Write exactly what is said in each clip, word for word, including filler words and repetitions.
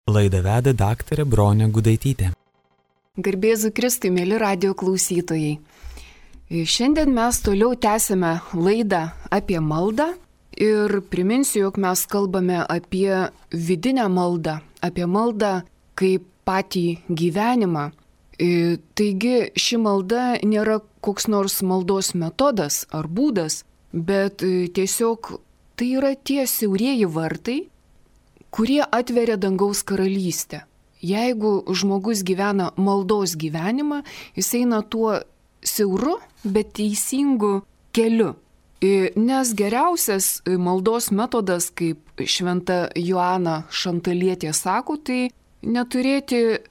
Laidą veda daktarė Bronė Gudaitytė. Garbėzu Kristui, mėly radijo klausytojai. Šiandien mes toliau tęsime laidą apie maldą ir priminsiu, jog mes kalbame apie vidinę maldą, apie maldą kaip patį gyvenimą. Taigi ši malda nėra koks nors maldos metodas ar būdas, bet tiesiog tai yra tie siaurieji vartai, kurie atveria dangaus karalystę. Jeigu žmogus gyvena maldos gyvenimą, jis eina tuo siauru, bet teisingu keliu. Nes geriausias maldos metodas, kaip šventa Joana Šantalietė sako, tai neturėti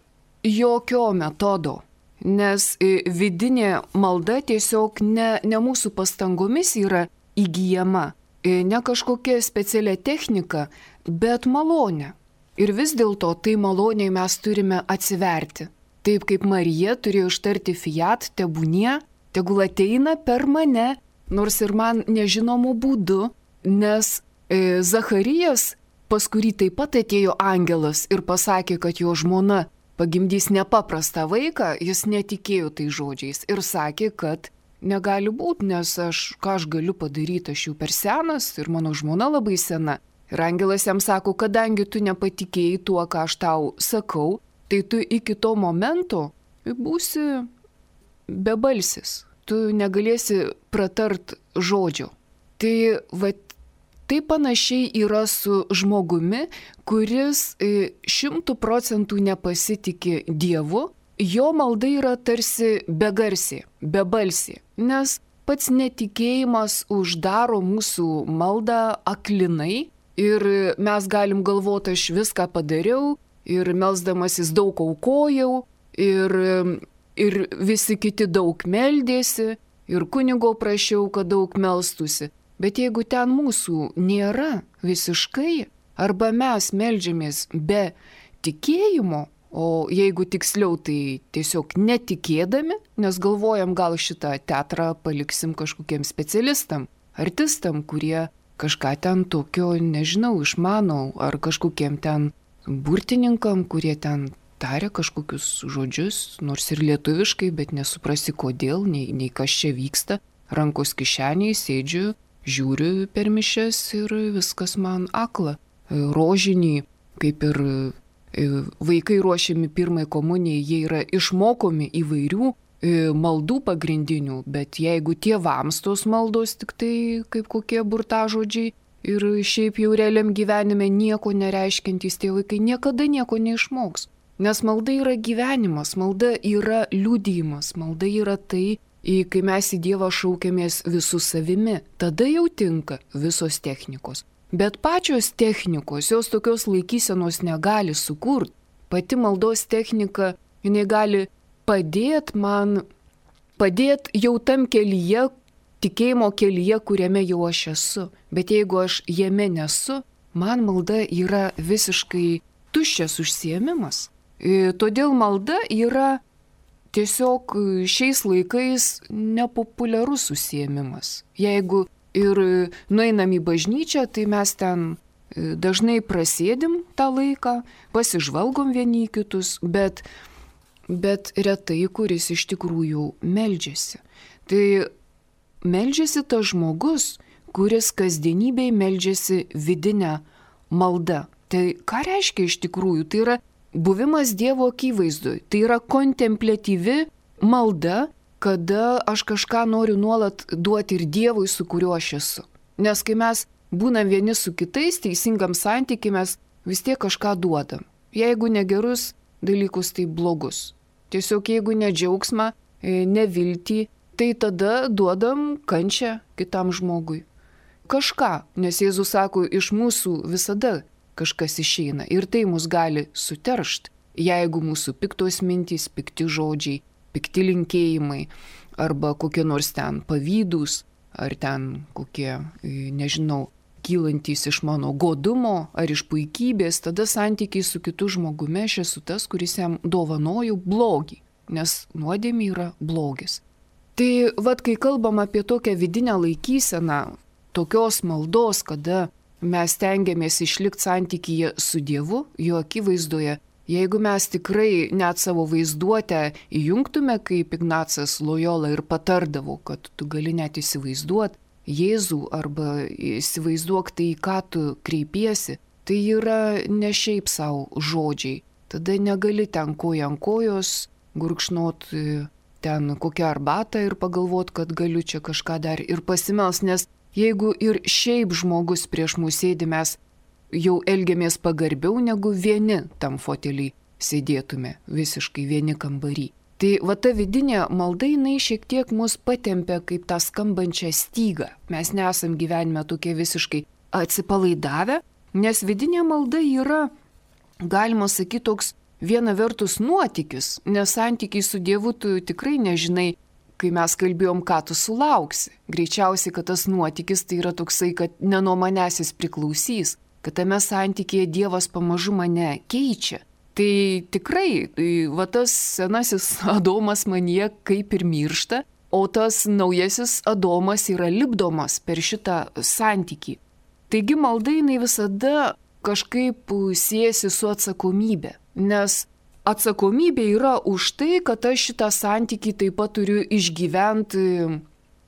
jokio metodo. Nes vidinė malda tiesiog ne, ne mūsų pastangomis yra įgyjama, ne kažkokia specialia technika, bet malonė. Ir vis dėlto tai maloniai mes turime atsiverti. Taip kaip Marija turėjo ištarti fiat, tebūnie, tegul ateina per mane, nors ir man nežinomu būdu, nes e, Zacharijas, pas kurį taip pat atėjo angelas ir pasakė, kad jo žmona pagimdys nepaprastą vaiką, jis netikėjo tai žodžiais ir sakė, kad negali būti, nes aš, ką aš galiu padaryti, aš jau per senas ir mano žmona labai sena. Ir angelas jam sako, kadangi tu nepatikėjai tuo, ką aš tau sakau, tai tu iki to momento būsi bebalsis, tu negalėsi pratart žodžio. Tai va, tai panašiai yra su žmogumi, kuris šimtų procentų nepasitikė Dievu, jo malda yra tarsi begarsė, bebalsė, nes pats netikėjimas uždaro mūsų maldą aklinai. Ir mes galim galvoti, aš viską padariau ir melsdamasis daug aukojau ir, ir visi kiti daug meldėsi ir kunigo prašiau, kad daug melstusi. Bet jeigu ten mūsų nėra visiškai, arba mes meldžiamės be tikėjimo, o jeigu tiksliau tai tiesiog netikėdami, nes galvojam gal šitą teatrą paliksim kažkokiem specialistam, artistam, kurie kažką ten tokio, nežinau, išmanau, ar kažkokiem ten burtininkam, kurie ten taria kažkokius žodžius, nors ir lietuviškai, bet nesuprasi kodėl, nei, nei kas čia vyksta. Rankos kišeniai, sėdžiu, žiūriu per mišias ir viskas man akla. Rožinį, kaip ir vaikai ruošiami pirmai komunijai, jie yra išmokomi įvairių maldų pagrindinių, bet jeigu tėvams tos maldos tik tai kaip kokie burtažodžiai ir šiaip jau realiam gyvenime nieko nereiškiantys tie vaikai niekada nieko neišmoks. Nes malda yra gyvenimas, malda yra liudijimas, malda yra tai, kai mes į Dievą šaukiamės visų savimi, tada jau tinka visos technikos. Bet pačios technikos, jos tokios laikysenos negali sukurti. Pati maldos technika, jinai gali padėt man, padėt jau tam kelyje, tikėjimo kelyje, kuriame jau aš esu. Bet jeigu aš jame nesu, man malda yra visiškai tuščias užsiėmimas. Todėl malda yra tiesiog šiais laikais nepopuliarus užsiėmimas. Jeigu ir nueinam į bažnyčią, tai mes ten dažnai prasėdim tą laiką, pasižvalgom vieni į kitus, bet bet retai, kuris iš tikrųjų meldžiasi. Tai meldžiasi tas žmogus, kuris kasdienybėj meldžiasi vidinę maldą. Tai ką reiškia iš tikrųjų? Tai yra buvimas Dievo akivaizdoj. Tai yra kontempliatyvi malda, kada aš kažką noriu nuolat duoti ir Dievui, su kuriuo aš esu. Nes kai mes būnam vieni su kitais, teisingam santykiui mes vis tiek kažką duodam. Jeigu negerus dalykus, tai blogus. Tiesiog jeigu ne džiaugsmą, ne viltį, tai tada duodam kančią kitam žmogui. Kažką, nes Jėzus sako, iš mūsų visada kažkas išeina ir tai mus gali suteršti, jeigu mūsų piktos mintys, pikti žodžiai, pikti linkėjimai arba kokie nors ten pavydūs ar ten kokie, nežinau, kylantys iš mano godumo ar iš puikybės, tada santykiai su kitu žmogumi aš esu tas, kuris jam dovanoju blogį, nes nuodėmė yra blogis. Tai vad, kai kalbam apie tokią vidinę laikyseną, tokios maldos, kada mes tengiamės išlikti santykyje su Dievu, jo akivaizdoje, jeigu mes tikrai net savo vaizduotę įjungtume, kaip Ignacas Lojola ir patardavo, kad tu gali net įsivaizduoti Jėzų arba įsivaizduok tai, į ką tu kreipiesi, tai yra ne šiaip savo žodžiai. Tada negali ten koja ant kojos gurkšnot ten kokią arbatą ir pagalvot, kad galiu čia kažką dar ir pasimels, nes jeigu ir šiaip žmogus prieš mūsų sėdi, mes jau elgiamės pagarbiau negu vieni tam foteliai sėdėtume, visiškai vieni kambarį. Tai va ta vidinė malda, jinai šiek tiek mus patempia kaip tą skambančią stygą. Mes nesam gyvenime tokie visiškai atsipalaidavę, nes vidinė malda yra, galima sakyti, toks viena vertus nuotykis, nes santykiai su Dievu tu tikrai nežinai, kai mes kalbėjom, ką tu sulauksi. Greičiausiai, kad tas nuotykis tai yra toksai, kad ne nuo manęs jis priklausys, kad tame santykėje Dievas pamažu mane keičia. Tai tikrai, tai, va tas senasis Adomas manyje kaip ir miršta, o tas naujasis Adomas yra lipdomas per šitą santykį. Taigi malda jinai visada kažkaip siejasi su atsakomybė, nes atsakomybė yra už tai, kad aš šitą santykį taip pat turiu išgyventi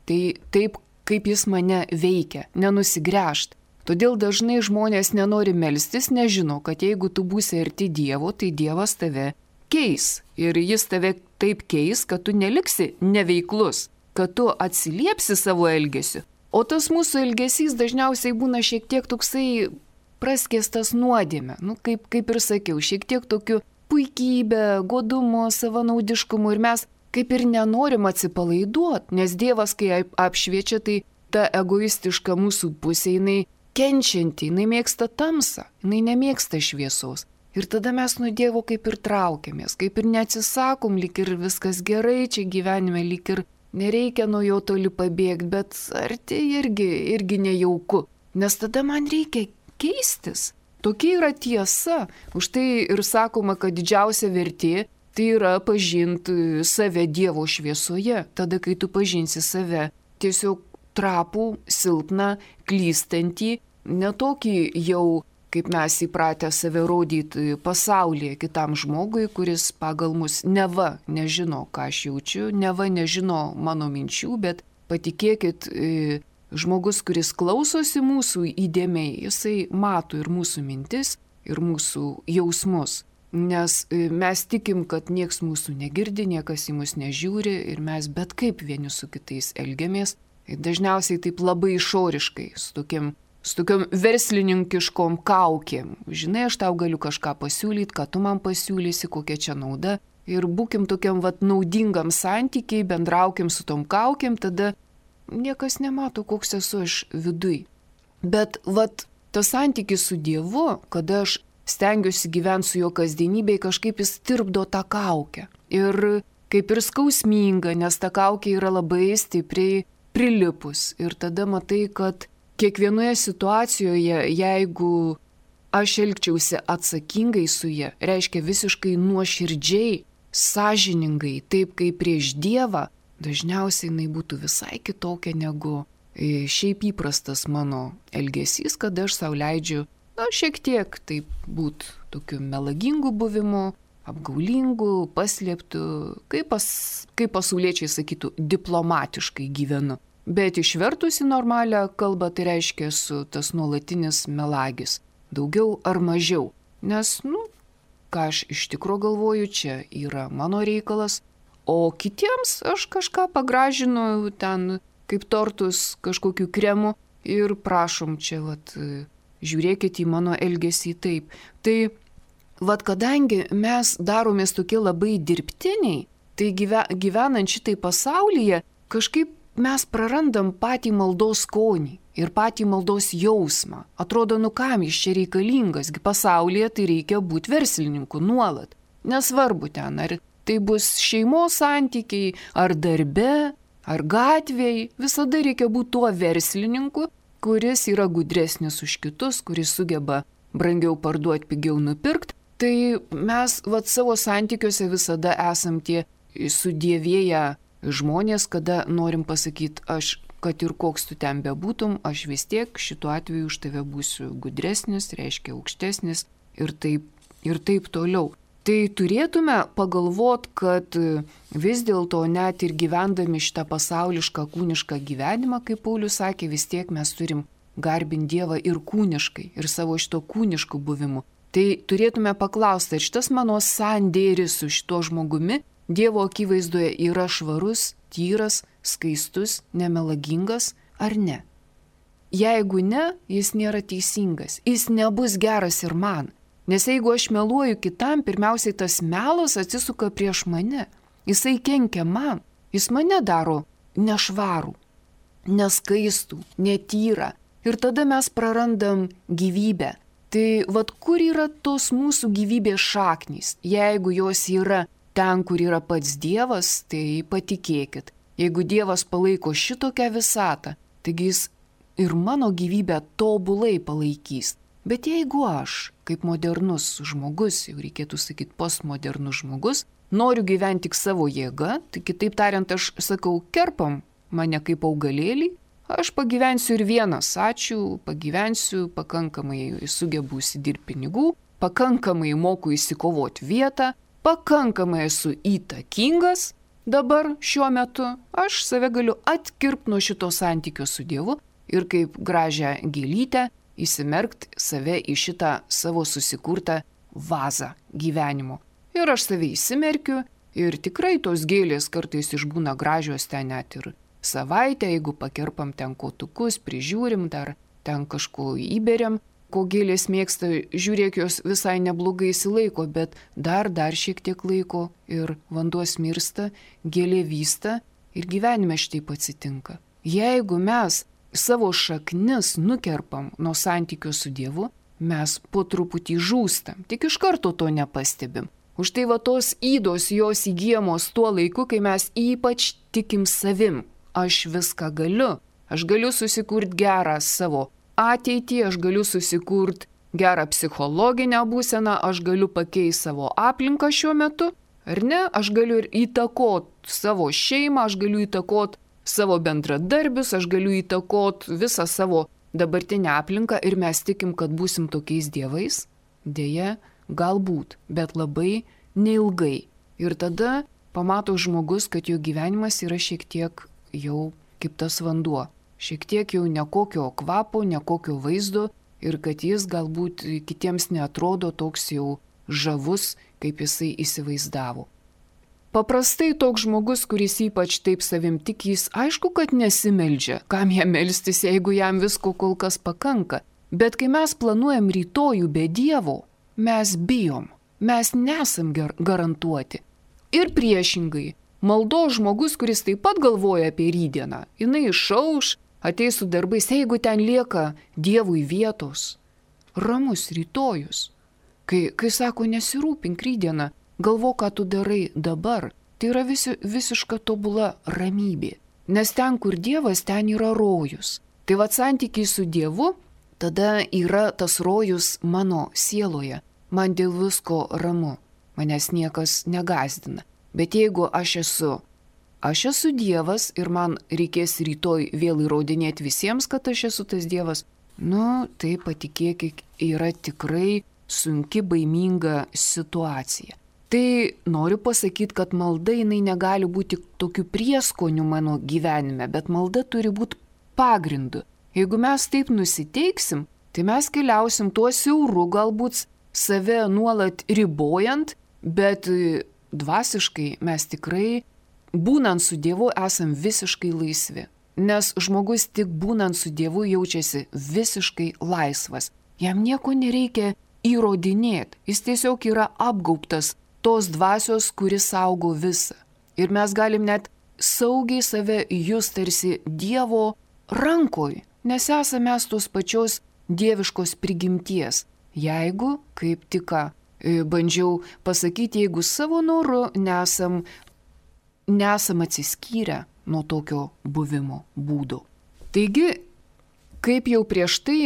tai taip, kaip jis mane veikia, nenusigręžti. Todėl dažnai žmonės nenori melstis, nežino, kad jeigu tu būsi arti Dievo, tai Dievas tave keis. Ir jis tave taip keis, kad tu neliksi neveiklus, kad tu atsiliepsi savo elgesiu. O tas mūsų elgesys dažniausiai būna šiek tiek toksai praskėstas nuodėme. Nu, kaip, kaip ir sakiau, šiek tiek tokiu puikybė, godumo, savanaudiškumu. Ir mes kaip ir nenorim atsipalaiduoti, nes Dievas, kai apšviečia, tai ta egoistiška mūsų pusė, jinai kenčianti, jinai mėgsta tamsą, jinai nemėgsta šviesos. Ir tada mes nuo Dievo kaip ir traukiamės, kaip ir neatsisakom, lyg ir viskas gerai čia gyvenime, lyg ir nereikia nuo jo toli pabėgti, bet arti irgi, irgi nejauku, nes tada man reikia keistis. Tokia yra tiesa, už tai ir sakoma, kad didžiausia vertė tai yra pažinti save Dievo šviesoje, tada kai tu pažinsi save tiesiog trapų, silpną, klystantį, netokį jau, kaip mes įpratę save rodyti pasaulyje kitam žmogui, kuris pagal mus neva nežino, ką aš jaučiu, neva nežino mano minčių, bet patikėkit, žmogus, kuris klausosi mūsų įdėmiai, jisai mato ir mūsų mintis, ir mūsų jausmus. Nes mes tikim, kad nieks mūsų negirdi, niekas į mus nežiūri ir mes bet kaip vieni su kitais elgiamės. Dažniausiai taip labai išoriškai, su tokiam, su tokiam verslininkiškom kaukėm. Žinai, aš tau galiu kažką pasiūlyti, ką tu man pasiūlysi, kokia čia nauda. Ir būkim tokiam vat naudingam santykiai, bendraukim su tom kaukėm, tada niekas nemato, koks esu aš viduj. Bet vat tas santykis su Dievu, kada aš stengiuosi gyventi su jo kasdienybėje, kažkaip jis tirpdo tą kaukę. Ir kaip ir skausminga, nes ta kaukė yra labai stipriai prilipus. Ir tada matai, kad kiekvienoje situacijoje, jeigu aš elgčiausi atsakingai su ja, reiškia visiškai nuoširdžiai, sąžiningai, taip kaip prieš Dievą, dažniausiai jinai būtų visai kitokia negu šiaip įprastas mano elgesys, kad aš sau leidžiu, na, šiek tiek taip būt tokiu melagingu buvimu, apgaulingu, paslėptu, kaip, pas, kaip pasauliečiai sakytų, diplomatiškai gyvenu. Bet išvertus į normalią kalbą tai reiškia su tas nuolatinis melagis. Daugiau ar mažiau. Nes, nu, ką aš iš tikro galvoju, čia yra mano reikalas, o kitiems aš kažką pagražinu ten kaip tortus kažkokiu kremu ir prašom čia, vat, žiūrėkit į mano elgesį taip. Tai vat kadangi mes daromės tokie labai dirbtiniai, tai gyvenant šitai pasaulyje, kažkaip mes prarandam patį maldos skonį ir patį maldos jausmą. Atrodo, nu kam jis čia reikalingas, pasaulyje tai reikia būti verslininku nuolat. Nesvarbu ten, ar tai bus šeimos santykiai, ar darbe, ar gatvėje, visada reikia būti tuo verslininku, kuris yra gudresnis už kitus, kuris sugeba brangiau parduoti, pigiau nupirkti. Tai mes vat savo santykiuose visada esam tie sudievėję žmonės, kada norim pasakyti, aš kad ir koks tu ten bebūtum, aš vis tiek šituo atveju už tave būsiu gudresnis, reiškia aukštesnis ir taip, ir taip toliau. Tai turėtume pagalvoti, kad vis dėlto net ir gyvendami šitą pasaulišką kūnišką gyvenimą, kaip Paulius sakė, vis tiek mes turim garbinti Dievą ir kūniškai, ir savo šito kūnišku buvimu. Tai turėtume paklausti, ar šitas mano sandėris su šito žmogumi Dievo akivaizdoje yra švarus, tyras, skaistus, nemelagingas ar ne. Jeigu ne, jis nėra teisingas, jis nebus geras ir man. Nes jeigu aš meluoju kitam, pirmiausiai tas melas atsisuka prieš mane. Jisai kenkia man, jis mane daro nešvarų, neskaistų, netyrą. Ir tada mes prarandam gyvybę. Tai vad kur yra tos mūsų gyvybės šaknys? Jeigu jos yra ten, kur yra pats Dievas, tai patikėkit. Jeigu Dievas palaiko šitokią visatą, taigi jis ir mano gyvybę tobulai palaikys. Bet jeigu aš, kaip modernus žmogus, jau reikėtų sakyti postmodernus žmogus, noriu gyventi tik savo jėgą, tai kitaip tariant, aš sakau, kerpam mane kaip augalėlį, aš pagyvensiu ir vienas, ačiū, pagyvensiu, pakankamai sugebu įsidirbti pinigų, pakankamai moku įsikovoti vietą, pakankamai esu įtakingas dabar šiuo metu, aš save galiu atkirpti nuo šito santykio su Dievu ir kaip gražią gėlytę įsimerkti save į šitą savo susikurtą vazą gyvenimo. Ir aš save įsimerkiu ir tikrai tos gėlės kartais išbūna gražios ten net ir savaitę, jeigu pakerpam ten kotukus, prižiūrim, dar ten kažko įberiam, ko gėlės mėgsta, žiūrėk, jos visai neblogai įsilaiko, bet dar, dar šiek tiek laiko ir vanduo smirsta, gėlė vysta ir gyvenime šitaip atsitinka. Jeigu mes savo šaknis nukerpam nuo santykio su Dievu, mes po truputį žūstam, tik iš karto to nepastebim. Už tai va tos ydos jos įgyjamos tuo laiku, kai mes ypač tikim savim. Aš viską galiu, aš galiu susikurti gerą savo ateitį, aš galiu susikurti gerą psichologinę būseną, aš galiu pakeisti savo aplinką šiuo metu, ar ne? Aš galiu ir įtakoti savo šeimą, aš galiu įtakoti savo bendradarbius, aš galiu įtakot visą savo dabartinę aplinką ir mes tikim, kad būsim tokiais dievais. Deja, galbūt, bet labai neilgai. Ir tada pamato žmogus, kad jo gyvenimas yra šiek tiek jau kaip tas vanduo. Šiek tiek jau nekokio kvapo, nekokio vaizdo ir kad jis galbūt kitiems neatrodo toks jau žavus, kaip jisai įsivaizdavo. Paprastai toks žmogus, kuris ypač taip savim tik, jis aišku, kad nesimeldžia. Kam jam melstis, jeigu jam visko kol kas pakanka. Bet kai mes planuojam rytojų be Dievo, mes bijom. Mes nesam garantuoti. Ir priešingai, maldos žmogus, kuris taip pat galvoja apie rytdieną, jinai išauš, ateis su darbais, jeigu ten lieka Dievui vietos. Ramus rytojus. Kai, kai sako, nesirūpink rytdieną, galvo, ką tu darai dabar, tai yra visi, visiška tobula ramybė. Nes ten, kur Dievas, ten yra rojus. Tai va santykiai su Dievu, tada yra tas rojus mano sieloje. Man dėl visko ramu, manęs niekas negąsdina. Bet jeigu aš esu, aš esu Dievas ir man reikės rytoj vėl įrodinėti visiems, kad aš esu tas Dievas, nu, tai patikėkit, yra tikrai sunki, baiminga situacija. Tai noriu pasakyti, kad malda jinai negali būti tokiu prieskoniu mano gyvenime, bet malda turi būti pagrindu. Jeigu mes taip nusiteiksim, tai mes keliausim tuo siauru, galbūt save nuolat ribojant, bet dvasiškai mes tikrai, būnant su Dievu, esam visiškai laisvi. Nes žmogus tik būnant su Dievu jaučiasi visiškai laisvas. Jam nieko nereikia įrodinėti, jis tiesiog yra apgaubtas tos dvasios, kuris saugo visą. Ir mes galim net saugiai save jūs tarsi Dievo rankoj, nes esame mes tos pačios dieviškos prigimties. Jeigu, kaip tik ką bandžiau pasakyti, jeigu savo noru nesam, nesam atsiskyrę nuo tokio buvimo būdo. Taigi, kaip jau prieš tai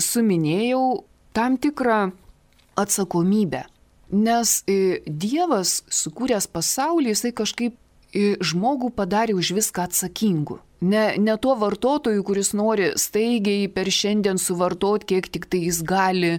suminėjau, tam tikrą atsakomybę. Nes Dievas, sukūręs pasaulį, jisai kažkaip žmogų padarė už viską atsakingu. Ne, ne tuo vartotoju, kuris nori staigiai per šiandien suvartoti, kiek tik tai jis gali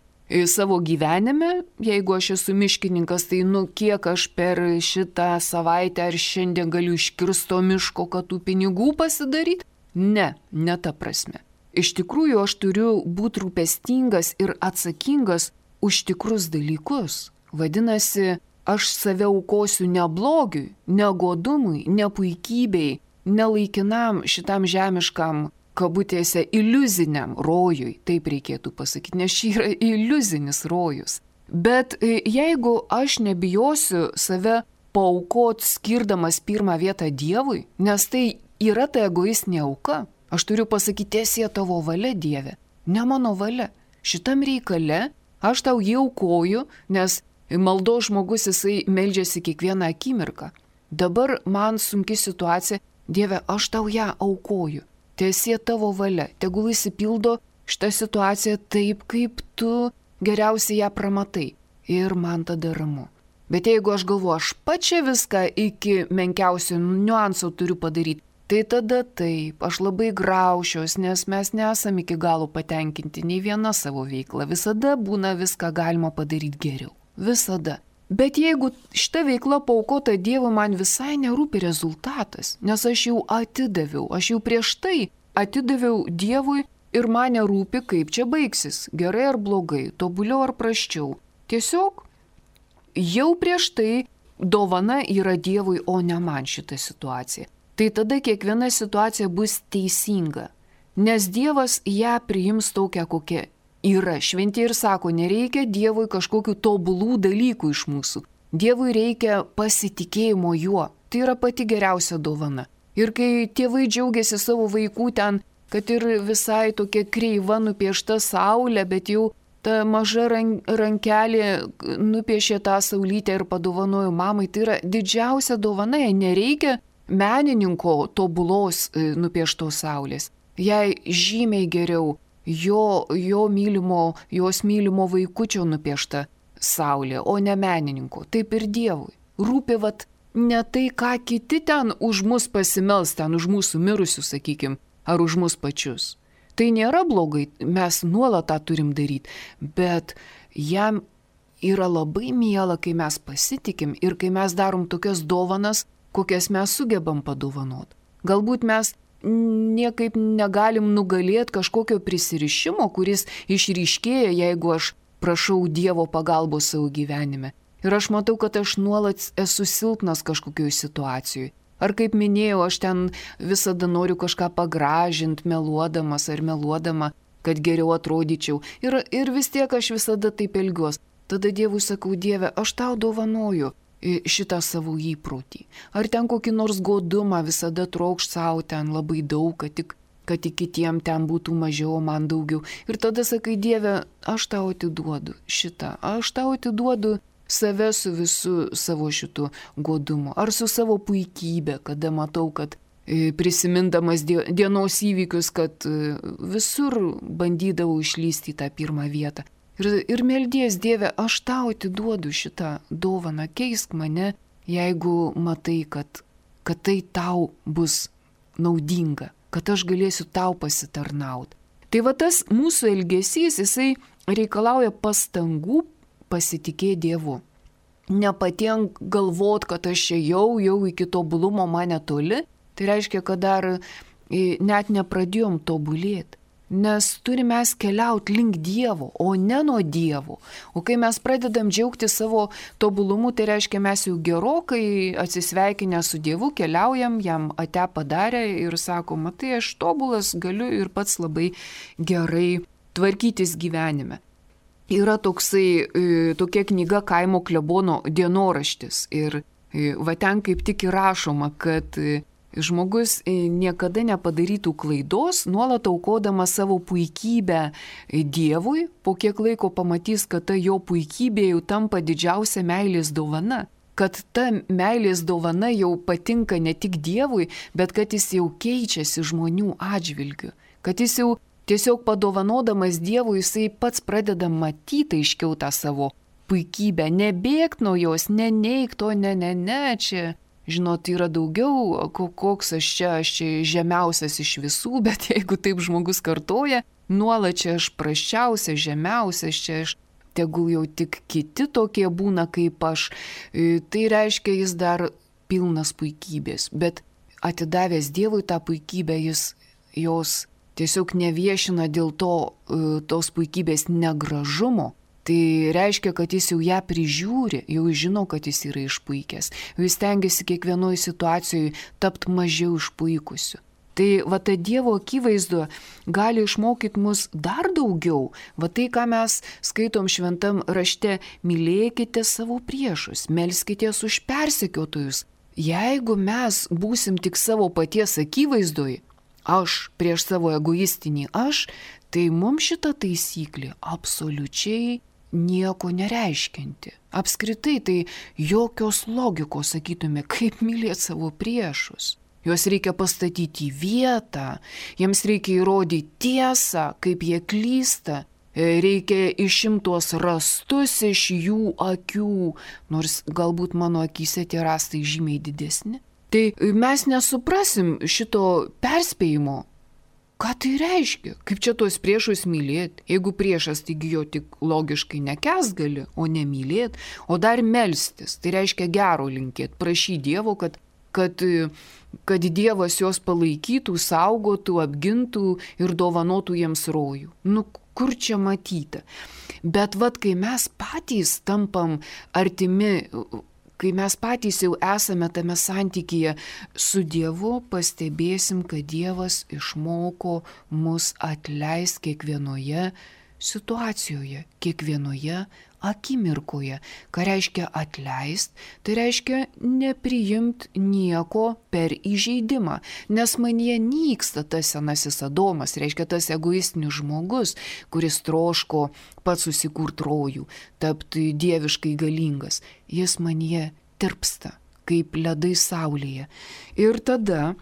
savo gyvenime. Jeigu aš esu miškininkas, tai nu kiek aš per šitą savaitę ar šiandien galiu iškirsto miško, kad tų pinigų pasidaryti? Ne, ne ta prasme. Iš tikrųjų, aš turiu būti rūpestingas ir atsakingas už tikrus dalykus. Vadinasi, aš save aukosiu ne blogiui, ne godumui, ne puikybei, nelaikinam šitam žemiškam, kabutėse, iliuziniam rojui, taip reikėtų pasakyti, nes šį yra iliuzinis rojus. Bet jeigu aš nebijosiu save paaukoti skirdamas pirmą vietą Dievui, nes tai yra ta egoistinė auka, aš turiu pasakyti, tiesie tavo valia, Dieve, ne mano valia. Šitam reikale aš tau jį aukoju, nes maldo žmogus jisai meldžiasi kiekvieną akimirką. Dabar man sunki situacija, Dieve, aš tau ją aukoju. Tiesie tavo valia, tegul įsipildo šitą situaciją taip, kaip tu geriausiai ją pramatai. Ir man tada ramu. Bet jeigu aš galvoju, aš pačia viską iki menkiausio niuanso turiu padaryti, tai tada taip, aš labai graušiuos, nes mes nesame iki galo patenkinti nei viena savo veikla. Visada būna viską galima padaryti geriau. Visada. Bet jeigu šita veikla paaukota Dievui, man visai nerūpi rezultatas, nes aš jau atidaviau, aš jau prieš tai atidaviau Dievui ir man nerūpi, kaip čia baigsis, gerai ar blogai, tobuliau ar prasčiau. Tiesiog jau prieš tai dovana yra Dievui, o ne man šita situacija. Tai tada kiekviena situacija bus teisinga, nes Dievas ją priims tokią, kokia yra. Šventieji ir sako, nereikia Dievui kažkokių tobulų dalykų iš mūsų. Dievui reikia pasitikėjimo juo. Tai yra pati geriausia dovana. Ir kai tėvai džiaugiasi savo vaikų ten, kad ir visai tokia kreiva nupiešta saulė, bet jau ta maža rankelė nupiešė tą saulytę ir padovanojo mamai, tai yra didžiausia dovana. Jai nereikia menininko tobulos nupieštos saulės. Jai žymiai geriau Jo, jo mylimo, jos mylimo vaikučio nupiešta saulė, o ne menininko. Taip ir Dievui. Rūpi vat ne tai, ką kiti ten už mus pasimels, ten už mūsų mirusius, sakykim, ar už mus pačius. Tai nėra blogai, mes nuolat tą turim daryti, bet jam yra labai miela, kai mes pasitikim ir kai mes darom tokias dovanas, kokias mes sugebam padovanot. Galbūt mes niekaip negalim nugalėti kažkokio prisirišimo, kuris išryškėja, jeigu aš prašau Dievo pagalbos savo gyvenime. Ir aš matau, kad aš nuolat esu silpnas kažkokioj situacijoj. Ar kaip minėjau, aš ten visada noriu kažką pagražinti, meluodamas ar meluodama, kad geriau atrodyčiau. Ir, ir vis tiek aš visada taip elgiuos. Tada Dievui sakau, Dieve, aš tau dovanoju šitą savo įprotį. Ar ten kokį nors godumą visada trokšt savo ten labai daug, kad tik, kad tik kitiem ten būtų mažiau, man daugiau. Ir tada sakai, Dieve, aš tau atiduodu šitą, aš tau atiduodu save su visu savo šitu godumu. Ar su savo puikybė, kada matau, kad prisimindamas dienos įvykius, kad visur bandydavau išlysti į tą pirmą vietą. Ir, ir meldies, Dieve, aš tau atiduodu šitą dovaną, keisk mane, jeigu matai, kad, kad tai tau bus naudinga, kad aš galėsiu tau pasitarnauti. Tai va tas mūsų elgesys, jisai reikalauja pastangų pasitikėti Dievu. Ne patien galvot, kad aš čia jau, jau iki tobulumo mane toli, tai reiškia, kad dar net nepradėjom tobulėti. Nes turime mes keliauti link Dievo, o ne nuo Dievo. O kai mes pradedam džiaugti savo tobulumu, tai reiškia, mes jau gerokai atsisveikinę su Dievu keliaujam, jam ate padarę ir sako, matai, aš tobulas galiu ir pats labai gerai tvarkytis gyvenime. Yra toksai, tokia knyga Kaimo klebono dienoraštis. Ir va ten kaip tik įrašoma, kad žmogus niekada nepadarytų klaidos, nuolat aukodamas savo puikybę Dievui, po kiek laiko pamatys, kad ta jo puikybė jau tampa didžiausia meilės dovana, kad ta meilės dovana jau patinka ne tik Dievui, bet kad jis jau keičiasi žmonių atžvilgiu, kad jis jau tiesiog padovanodamas Dievui, jisai pats pradeda matyti aiškiau tą savo puikybę, nebėgt nuo jos, neneik to, ne, ne, ne, čia žinot, yra daugiau, koks aš čia, aš čia žemiausias iš visų, bet jeigu taip žmogus kartoja, nuolat čia aš prasčiausias, žemiausias, čia aš tegul jau tik kiti tokie būna kaip aš, tai reiškia, jis dar pilnas puikybės, bet atidavęs Dievui tą puikybę, jis jos tiesiog neviešina dėl to, tos puikybės negražumo. Tai reiškia, kad jis jau ją prižiūri, jau žino, kad jis yra išpuikęs. Jis tengiasi kiekvienoje situacijoje tapti mažiau išpuikusiu. Tai va ta Dievo akivaizdu gali išmokyti mus dar daugiau. Va tai, ką mes skaitom šventam rašte, mylėkite savo priešus, melskitės už persekiotojus. Jeigu mes būsim tik savo paties akivaizdoj, aš prieš savo egoistinį aš, tai mums šita taisyklė absoliučiai nieko nereiškinti. Apskritai tai jokios logikos, sakytume, kaip mylėti savo priešus. Juos reikia pastatyti į vietą, jiems reikia įrodyti tiesą, kaip jie klysta, reikia išimti tuos rastus iš jų akių, nors galbūt mano akyse tie rastai žymiai didesni. Tai mes nesuprasim šito perspėjimo. Ką tai reiškia? Kaip čia tuos priešus mylėti? Jeigu priešas, taigi jo tik logiškai nekęst gali, o ne mylėti, o dar melstis. Tai reiškia gero linkėti, prašyti Dievo, kad, kad, kad Dievas juos palaikytų, saugotų, apgintų ir dovanotų jiems rojų. Nu, kur čia matyti? Bet vat, kai mes patys tampam artimi, kai mes patys jau esame tame santykyje su Dievu, pastebėsim, kad Dievas išmoko mus atleisti kiekvienoje situacijoje, kiekvienoje akimirkoje. Ką reiškia atleist? Tai reiškia nepriimt nieko per įžeidimą, nes manyje nyksta tas senasis Adomas, reiškia tas egoistinis žmogus, kuris troško pats susikurt rojų, tapti dieviškai galingas. Jis manyje tirpsta, kaip ledai saulėje. Ir tada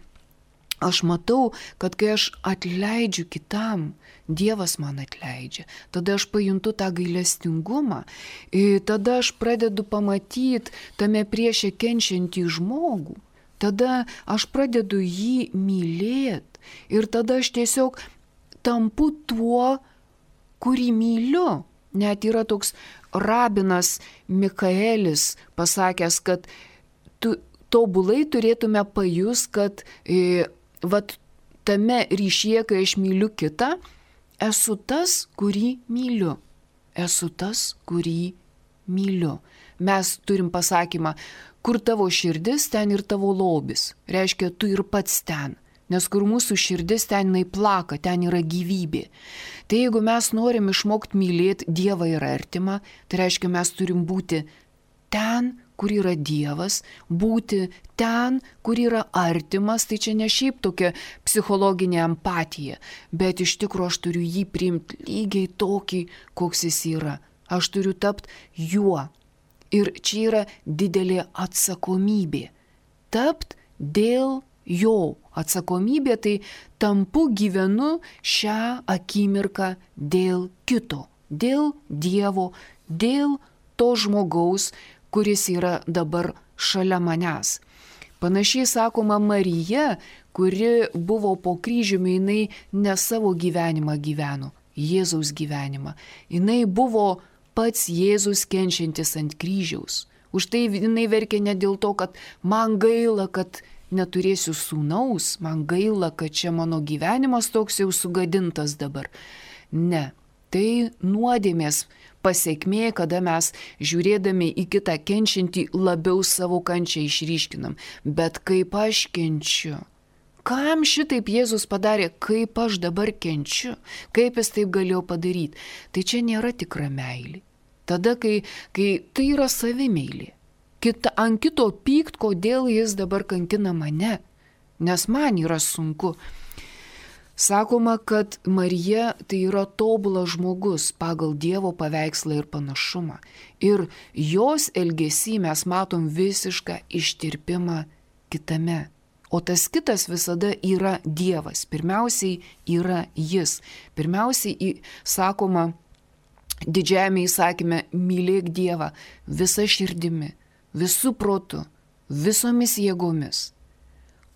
aš matau, kad kai aš atleidžiu kitam, Dievas man atleidžia. Tada aš pajuntu tą gailestingumą. Tada aš pradedu pamatyti tame priešė kenčiantį žmogų. Tada aš pradedu jį mylėti. Ir tada aš tiesiog tampu tuo, kurį myliu. Net yra toks rabinas Mikaelis pasakęs, kad tu, tobulai turėtume pajus, kad e, vat, tame ryšyje, kai aš myliu kitą, esu tas, kurį myliu. Esu tas, kurį myliu. Mes turim pasakymą, kur tavo širdis, ten ir tavo lobis. Reiškia, tu ir pats ten. Nes kur mūsų širdis, ten jinai plaka, ten yra gyvybė. Tai jeigu mes norim išmokti mylėti Dievą ir artimą, tai reiškia, mes turim būti ten, kur yra Dievas, būti ten, kur yra artimas, tai čia ne šiaip tokia psichologinė empatija, bet iš tikrųjų aš turiu jį priimti lygiai tokį, koks jis yra. Aš turiu tapti juo. Ir čia yra didelė atsakomybė. Tapt dėl jo. Atsakomybė tai tampu gyvenu šią akimirką dėl kito, dėl Dievo, dėl to žmogaus, kuris yra dabar šalia manęs. Panašiai sakoma Marija, kuri buvo po kryžiumi, jinai ne savo gyvenimą gyveno, Jėzaus gyvenimą. Jinai buvo pats Jėzus kenčiantis ant kryžiaus. Už tai jinai verkė ne dėl to, kad man gaila, kad neturėsiu sūnaus, man gaila, kad čia mano gyvenimas toks jau sugadintas dabar. Ne, tai nuodėmės pasiekmė, kada mes žiūrėdami į kitą kenčiantį labiau savo kančią išryškinam. Bet kaip aš kenčiu? Kam šitaip Jėzus padarė, kaip aš dabar kenčiu? Kaip jis taip galėjo padaryti? Tai čia nėra tikra meilė. Tada, kai, kai tai yra savimeilė. Kita, ant kito pykt, kodėl jis dabar kankina mane, nes man yra sunku. Sakoma, kad Marija tai yra tobulas žmogus pagal Dievo paveikslą ir panašumą. Ir jos elgesy mes matom visišką ištirpimą kitame. O tas kitas visada yra Dievas. Pirmiausiai yra jis. Pirmiausiai, sakoma, didžiajame įsakyme, mylėk Dievą visą širdimi, visų protu, visomis jėgomis,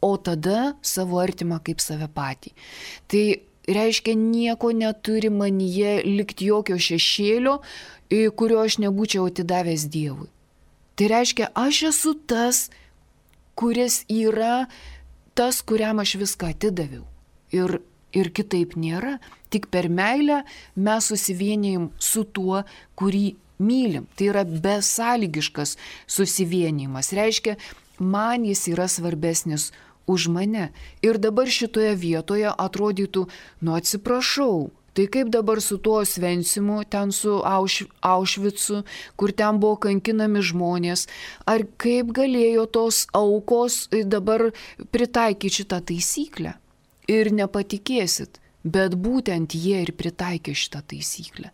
o tada savo artimą kaip save patį. Tai reiškia, nieko neturi manyje likti jokio šešėlio, kurio aš nebūčiau atidavęs Dievui. Tai reiškia, aš esu tas, kuris yra tas, kuriam aš viską atidaviau. Ir, ir kitaip nėra. Tik per meilę mes susivienijim su tuo, kurį mylim. Tai yra besąlygiškas susivienijimas. Reiškia, man jis yra svarbesnis už mane. Ir dabar šitoje vietoje atrodytų, nu atsiprašau, tai kaip dabar su tuo Osvencimu, ten su Auš, Aušvicu, kur ten buvo kankinami žmonės, ar kaip galėjo tos aukos dabar pritaikyti šitą taisyklę? Ir nepatikėsit, bet būtent jie ir pritaikė šitą taisyklę.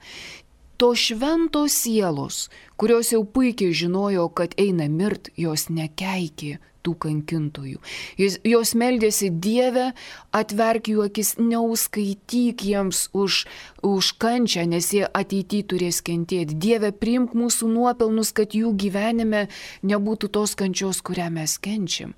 To šventos sielos, kurios jau puikiai žinojo, kad eina mirt, jos nekeikė tų kankintojų. Jos meldėsi, Dieve, atverk jų akis, neuskaityk jiems už, už kančią, nes jie ateityje turės kentėti. Dieve, priimk mūsų nuopelnus, kad jų gyvenime nebūtų tos kančios, kurią mes kenčiam.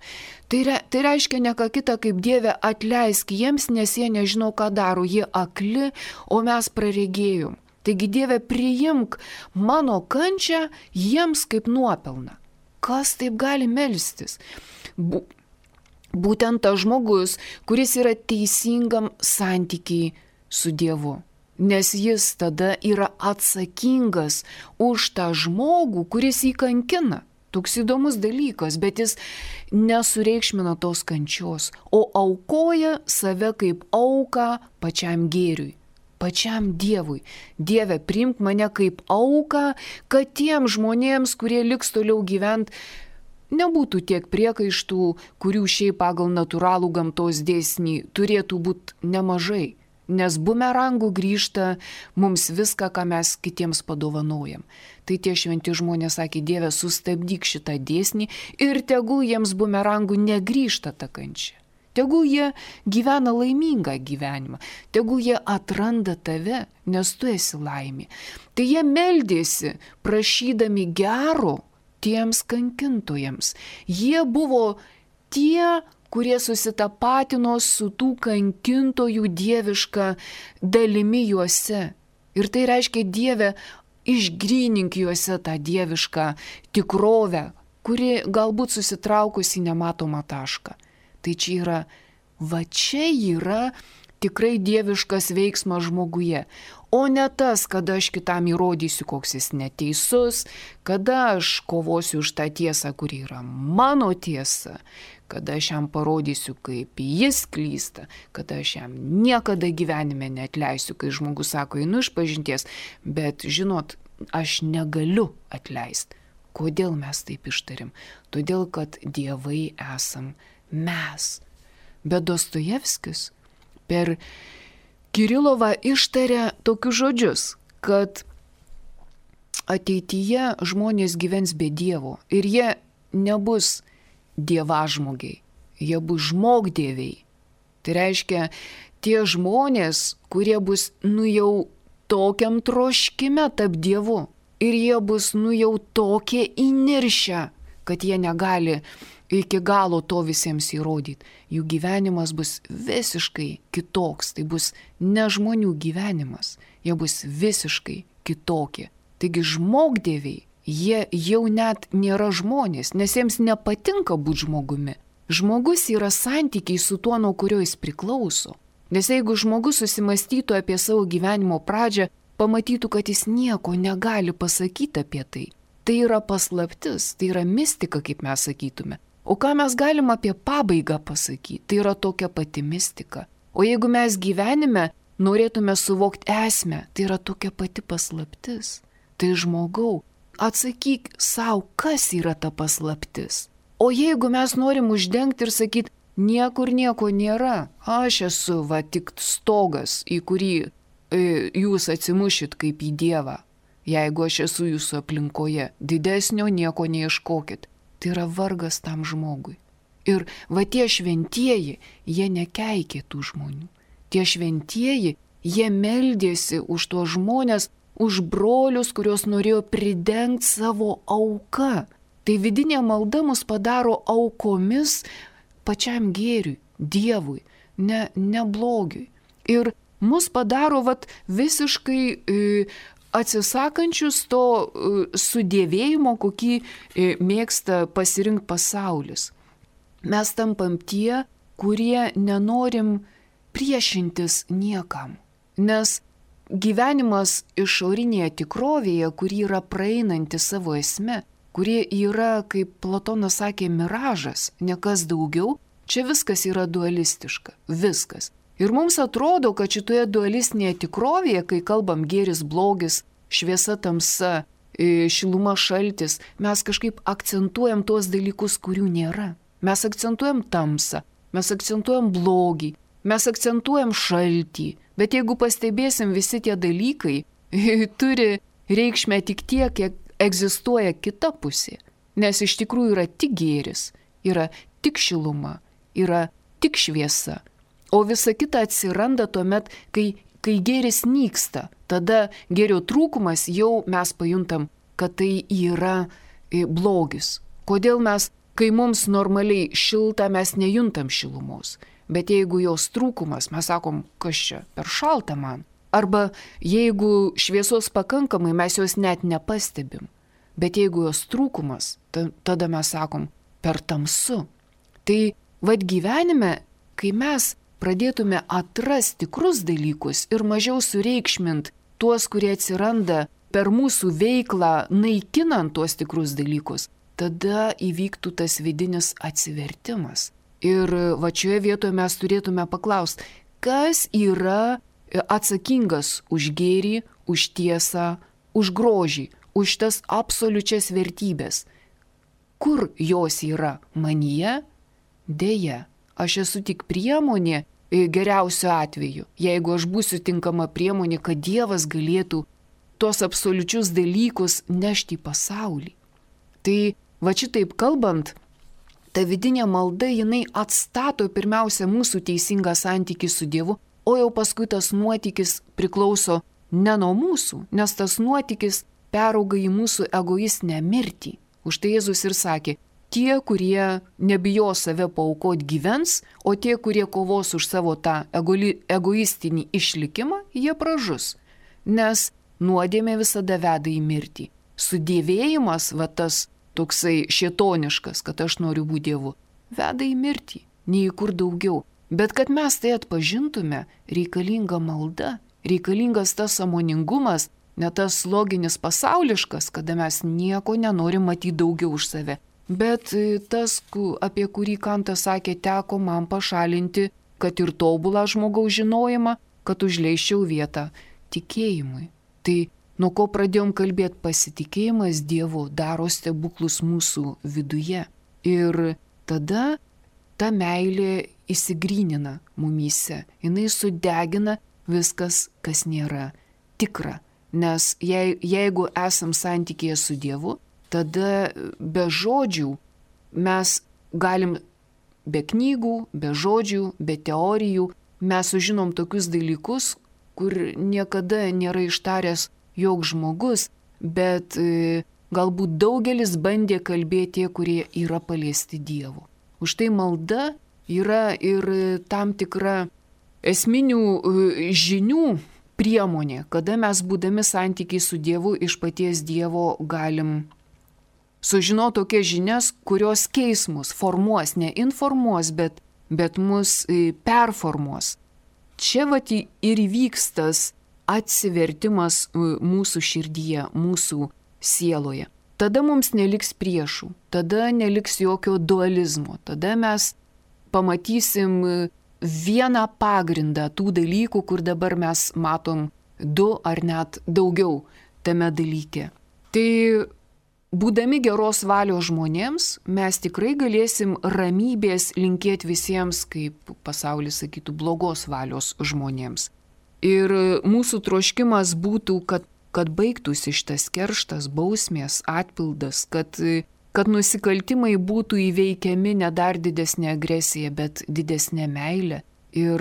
Tai, re, tai reiškia ne ką kitą, kaip Dieve, atleisk jiems, nes jie nežino, ką daro. Jie akli, o mes praregėjom. Taigi, Dieve, priimk mano kančią jiems kaip nuopelną. Kas taip gali melstis? Būtent tas žmogus, kuris yra teisingam santykiai su Dievu. Nes jis tada yra atsakingas už tą žmogų, kuris jį kankina. Toks įdomus dalykas, bet jis nesureikšmina tos kančios, o aukoja save kaip auką pačiam gėriui. Pačiam Dievui. Dieve, priimk mane kaip auką, kad tiem žmonėms, kurie liks toliau gyvent, nebūtų tiek priekaištų, kurių šiaip pagal natūralų gamtos dėsnį turėtų būti nemažai. Nes bumerangų grįžta mums viską, ką mes kitiems padovanojam. Tai tie šventi žmonės sakė, Dieve, sustabdyk šitą dėsnį ir tegul jiems bumerangų negrįžta ta kančia. Tegul jie gyvena laimingą gyvenimą, tegul jie atranda tave, nes tu esi laimė. Tai jie meldėsi, prašydami gero tiems kankintojams. Jie buvo tie, kurie susitapatino su tų kankintojų dieviška dalimi juose. Ir tai reiškia, Dieve, išgrynink juose tą dievišką tikrovę, kuri galbūt susitraukusi nematomą tašką. Tai čia yra, va čia yra tikrai dieviškas veiksmas žmoguje, o ne tas, kada aš kitam įrodysiu, koks jis neteisus, kada aš kovosiu už tą tiesą, kuri yra mano tiesa, kada aš jam parodysiu, kaip jis klysta, kada aš jam niekada gyvenime neatleisiu, kai žmogus sako, einu iš pažinties, bet žinot, aš negaliu atleisti. Kodėl mes taip ištarim? Todėl, kad dievai esam mes. Bet Dostojevskis per Kirilovą ištarė tokius žodžius, kad ateityje žmonės gyvens be Dievo ir jie nebus dievažmogiai, jie bus žmogdieviai. Tai reiškia, tie žmonės, kurie bus nu jau tokiam troškime tarp Dievu ir jie bus nu jau tokie įniršę, kad jie negali iki galo to visiems įrodyti. Jų gyvenimas bus visiškai kitoks, tai bus ne žmonių gyvenimas, jie bus visiškai kitokie. Taigi žmogdieviai, jie jau net nėra žmonės, nes jiems nepatinka būti žmogumi. Žmogus yra santykiai su tuo, nuo kurio jis priklauso. Nes jeigu žmogus susimastytų apie savo gyvenimo pradžią, pamatytų, kad jis nieko negali pasakyti apie tai. Tai yra paslaptis, tai yra mistika, kaip mes sakytume. O ką mes galim apie pabaigą pasakyti? Tai yra tokia pati mistika. O jeigu mes gyvenime norėtume suvokti esmę, tai yra tokia pati paslaptis. Tai žmogau, atsakyk savo, kas yra ta paslaptis. O jeigu mes norim uždengti ir sakyti, niekur nieko nėra, aš esu va tik stogas, į kurį e, jūs atsimušit kaip į Dievą. Jeigu aš esu jūsų aplinkoje, didesnio nieko neieškokit. Tai yra vargas tam žmogui. Ir va tie šventieji, jie nekeikė tų žmonių. Tie šventieji, jie meldėsi už tuos žmonės, už brolius, kuriuos norėjo pridengti savo auką. Tai vidinė malda mus padaro aukomis pačiam gėriui, Dievui, ne, ne blogiui. Ir mus padaro vat, visiškai e, atsisakančius to e, sudėvėjimo, kokį e, mėgsta pasirinkti pasaulis. Mes tampam tie, kurie nenorim priešintis niekam. Nes gyvenimas išorinėje tikrovėje, kuri yra praeinanti savo esme, kurie yra, kaip Platonas sakė, miražas, nekas daugiau, čia viskas yra dualistiška. Viskas. Ir mums atrodo, kad šitoje dualistinėje tikrovėje, kai kalbam gėris, blogis, šviesa, tamsa, šiluma, šaltis, mes kažkaip akcentuojam tuos dalykus, kurių nėra. Mes akcentuojam tamsą, mes akcentuojam blogį, mes akcentuojam šaltį. Bet jeigu pastebėsim, visi tie dalykai turi reikšmę tik tiek, kiek egzistuoja kita pusė. Nes iš tikrųjų yra tik gėris, yra tik šiluma, yra tik šviesa. O visa kita atsiranda tuomet, kai, kai gėris nyksta. Tada gėrio trūkumas jau mes pajuntam, kad tai yra blogis. Kodėl mes, kai mums normaliai šilta, mes nejuntam šilumos. Bet jeigu jos trūkumas, mes sakom, kas čia, per šalta man. Arba jeigu šviesos pakankamai, mes jos net nepastebim. Bet jeigu jos trūkumas, ta, tada mes sakom, per tamsu. Tai vad gyvenime, kai mes pradėtume atrasti tikrus dalykus ir mažiau sureikšmint tuos, kurie atsiranda per mūsų veiklą, naikinant tuos tikrus dalykus, tada įvyktų tas vidinis atsivertimas. Ir va šioje vietoje mes turėtume paklausti, kas yra atsakingas už gėrį, už tiesą, už grožį, už tas absoliučias vertybės. Kur jos yra? Manyje? Deja, aš esu tik priemonė geriausiu atveju, jeigu aš būsiu tinkama priemonė, kad Dievas galėtų tos absoliučius dalykus nešti į pasaulį. Tai va šitaip kalbant, ta vidinė malda, jinai atstato pirmiausia mūsų teisingą santykį su Dievu, o jau paskui tas nuotykis priklauso ne nuo mūsų, nes tas nuotykis perauga į mūsų egoistinę mirtį. Už tai Jėzus ir sakė, tie, kurie nebijo save paaukoti gyvens, o tie, kurie kovos už savo tą egoistinį išlikimą, jie pražus. Nes nuodėmė visada veda į mirtį. Sudėvėjimas, va tas toksai šėtoniškas, kad aš noriu būti Dievu, veda į mirtį, nei į kur daugiau. Bet kad mes tai atpažintume, reikalinga malda, reikalingas tas sąmoningumas, ne tas loginis pasauliškas, kada mes nieko nenorim matyti daugiau už save. Bet tas, apie kurį Kantas sakė, teko man pašalinti, kad ir tobulą žmogaus žinojimą, kad užleiščiau vietą tikėjimui. Tai nuo ko pradėjom kalbėti, pasitikėjimas Dievu daro stebuklus mūsų viduje. Ir tada ta meilė įsigrynina mumyse. Jis sudegina viskas, kas nėra tikra. Nes jei, jeigu esam santykėje su Dievu, tada be žodžių mes galim, be knygų, be žodžių, be teorijų, mes sužinom tokius dalykus, kur niekada nėra ištaręs joks žmogus, bet e, galbūt daugelis bandė kalbėti tie, kurie yra paliesti Dievu. Už tai malda yra ir tam tikra esminių e, žinių priemonė, kada mes būdami santykiai su Dievu iš paties Dievo galim sužinoti tokias žinias, kurios keis mus, formuos, ne informuos, bet, bet mus e, performuos. Čia vat ir įvyks tas atsivertimas mūsų širdyje, mūsų sieloje. Tada mums neliks priešų, tada neliks jokio dualizmo, tada mes pamatysim vieną pagrindą tų dalykų, kur dabar mes matom du ar net daugiau tame dalyke. Tai būdami geros valios žmonėms, mes tikrai galėsim ramybės linkėti visiems, kaip pasaulis sakytų, blogos valios žmonėms. Ir mūsų troškimas būtų, kad, kad baigtųsi šitas kerštas, bausmės, atpildas, kad, kad nusikaltimai būtų įveikiami ne dar didesnė agresija, bet didesnė meilė. Ir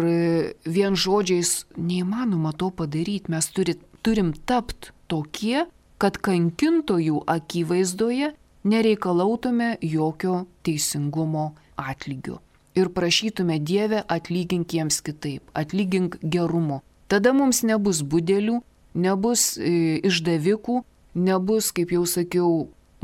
vien žodžiais neįmanoma to padaryti. Mes turi, turim tapti tokie, kad kankintojų akivaizdoje nereikalautume jokio teisingumo atlygio. Ir prašytume Dieve, atlygink jiems kitaip, atlygink gerumu. Tada mums nebus budelių, nebus e, išdavikų, nebus, kaip jau sakiau,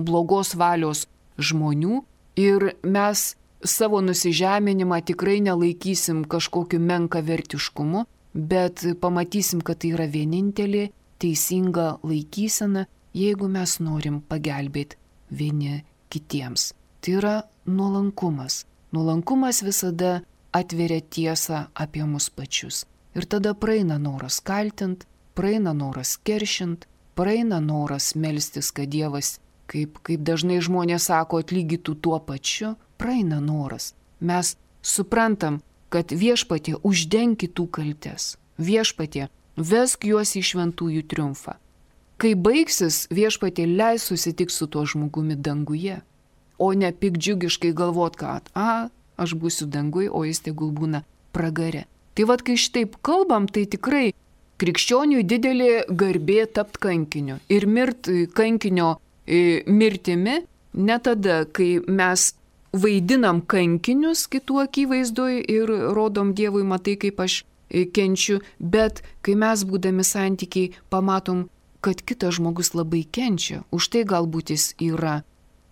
blogos valios žmonių ir mes savo nusižeminimą tikrai nelaikysim kažkokiu menkavertiškumu, bet pamatysim, kad tai yra vienintelė teisinga laikysena, jeigu mes norim pagelbėti vieni kitiems. Tai yra nuolankumas. Nuolankumas visada atveria tiesą apie mus pačius. Ir tada praeina noras kaltint, praeina noras keršint, praeina noras melstis, kad Dievas, kaip, kaip dažnai žmonės sako, atlygytų tuo pačiu, praeina noras. Mes suprantam, kad Viešpatie uždenk kitų kaltes. Viešpatie, vesk juos į šventųjų triumfą. Kai baigsis, Viešpatie leis susitikti su tuo žmogumi danguje, o ne pikdžiugiškai galvot, kad, a, aš būsiu dangui, o jis tegul būna pragare. Tai vad, kai šitaip kalbam, tai tikrai krikščioniui didelė garbė tapt kankiniu. Ir mirt kankinio e, mirtimi ne tada, kai mes vaidinam kankinius kitų akivaizdoj ir rodom Dievui, matai, kaip aš e, kenčiu, bet kai mes būdami santykiai pamatom, kad kitas žmogus labai kenčia, už tai galbūt jis yra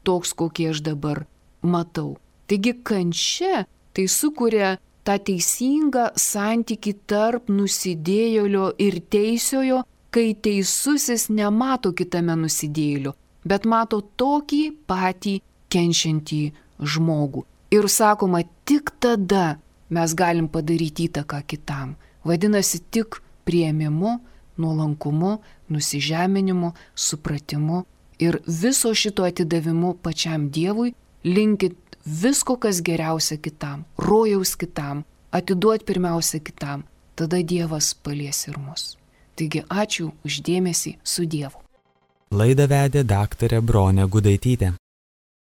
toks, kokį aš dabar matau. Taigi kančia tai sukuria tą teisingą santykį tarp nusidėjėlio ir teisiojo, kai teisusis nemato kitame nusidėjėlio, bet mato tokį patį kenčiantį žmogų. Ir sakoma, tik tada mes galim padaryti įtaką kitam. Vadinasi, tik priėmimu, nuolankumu, nusižeminimu, supratimu ir viso šito atidavimu pačiam Dievui, linkit visko, kas geriausia kitam, rojaus kitam, atiduot pirmiausia kitam, tada Dievas palies ir mus. Taigi ačiū už dėmesį, su Dievu. Laidą vedė daktarė Bronė Gudaitytė.